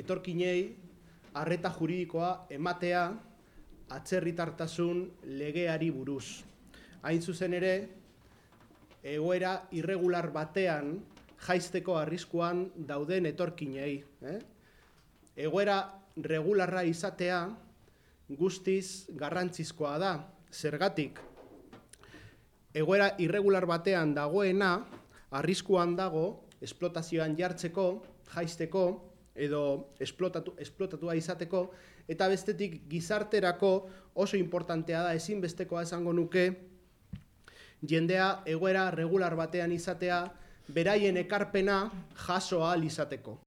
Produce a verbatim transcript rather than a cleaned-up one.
etorkinei arreta juridikoa ematea atzerritartasun legeari buruz. Hain zuzen ere, egoera irregular batean jaisteko arriskuan dauden etorkinei. Eh? Egoera regularra izatea guztiz garrantzizkoa da. Zergatik, egoera irregular batean dagoena arriskuan dago esplotazioan jartzeko, jaisteko edo esplotatu, esplotatua izateko, eta bestetik gizarterako oso importantea da, ezinbestekoa esango nuke, jendea egoera regular batean izatea, beraien ekarpena jaso ahal izateko.